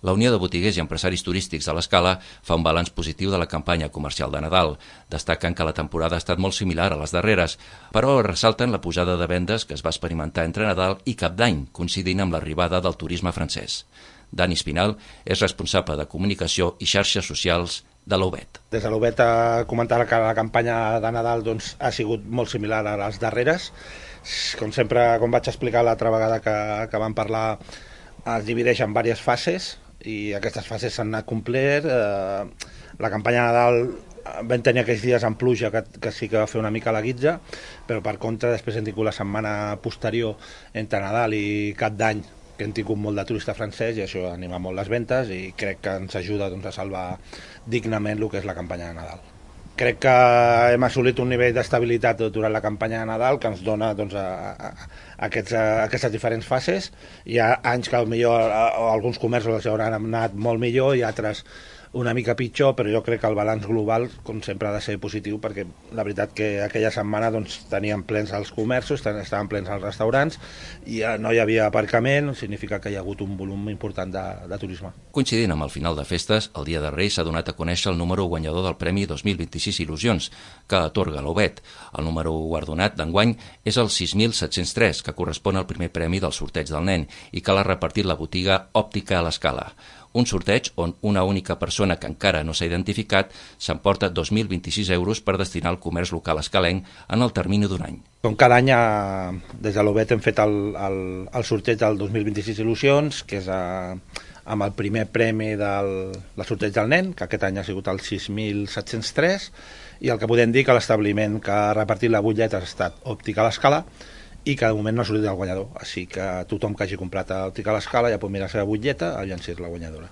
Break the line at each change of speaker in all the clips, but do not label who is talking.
La Unió de Botiguers i Empresaris Turístics de l'Escala fa un balanç positiu de la campanya comercial de Nadal. Destaquen que la temporada ha estat molt similar a les darreres, però ressalten la pujada de vendes que es va experimentar entre Nadal i Cap d'Any, coincidint amb l'arribada del turisme francès. Dani Espinal és responsable de comunicació i xarxes socials de l'Obet.
Des de l'Obet comentar que la campanya de Nadal ha sigut molt similar a les darreres. Com sempre, com vaig explicar l'altra vegada que vam parlar, es divideix en diverses fases i aquestes fases s'han anat complert. La campanya de Nadal vam tenir aquells dies amb pluja que sí que va fer una mica la guitza, però per contra després hem tingut la setmana posterior entre Nadal i Cap d'Any, que hem tingut molt de turista francès i això anima molt les ventes i crec que ens ajuda a salvar dignament el que és la campanya de Nadal. Crec que hem assolit un nivell d'estabilitat durant la campanya de Nadal que ens dona aquestes diferents fases. Hi ha anys que millor alguns comerços els hauran anat molt millor i altres una mica pitjor, però jo crec que el balanç global, com sempre, ha de ser positiu, perquè la veritat que aquella setmana tenien plens els comerços, estaven plens els restaurants, i no hi havia aparcament, significa que hi ha hagut un volum important de turisme.
Coincidint amb el final de festes, el dia de Reis s'ha donat a conèixer el número guanyador del Premi 2026 Il·lusions, que atorga l'Obet. El número guardonat d'enguany és el 6.703, que correspon al primer premi del sorteig del nen i que l'ha repartit la botiga Òptica a l'Escala. Un sorteig on una única persona que encara no s'ha identificat s'emporta 2.026 euros per destinar al comerç local escalenc en el termini d'un any.
Com cada any, des de l'Obet hem fet el sorteig del 2026 Il·lusions, que és amb el primer premi del sorteig del nen, que aquest any ha sigut el 6.703, i el que podem dir que l'establiment que ha repartit la butlleta ha estat Òptica a l'Escala, i que de moment no ha sortit el guanyador, així que tothom que hagi comprat a Òptica a l'Escala ja pot mirar la seva butlleta i llançar la guanyadora.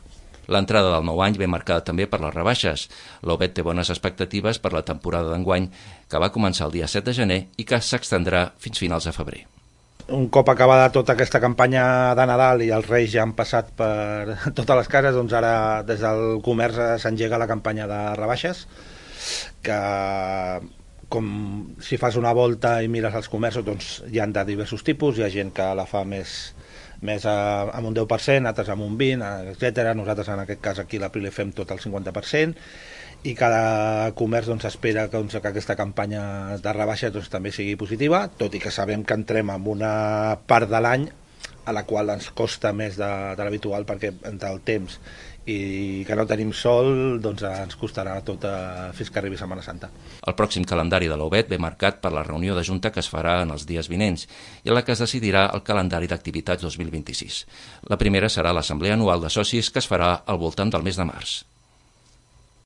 L'entrada del nou any ve marcada també per les rebaixes. L'Obet té bones expectatives per la temporada d'enguany, que va començar el dia 7 de gener i que s'extendrà fins finals de febrer.
Un cop acabada tota aquesta campanya de Nadal i els Reis ja han passat per totes les cases, doncs ara des del comerç s'engega la campanya de rebaixes, que com si fas una volta i mires els comerços, doncs hi ha de diversos tipus. Hi ha gent que la fa més amb un 10%, altres amb un 20%, etc. Nosaltres en aquest cas aquí a l'April fem tot el 50%, i cada comerç espera que aquesta campanya de rebaixa també sigui positiva, tot i que sabem que entrem en una part de l'any a la qual ens costa més de l'habitual, perquè entre el temps i que no tenim sol, ens costarà tot fins que arribi Setmana Santa.
El pròxim calendari de l'Obet ve marcat per la reunió de Junta que es farà en els dies vinents i en la que es decidirà el calendari d'activitats 2026. La primera serà l'Assemblea Anual de Socis, que es farà al voltant del mes de març.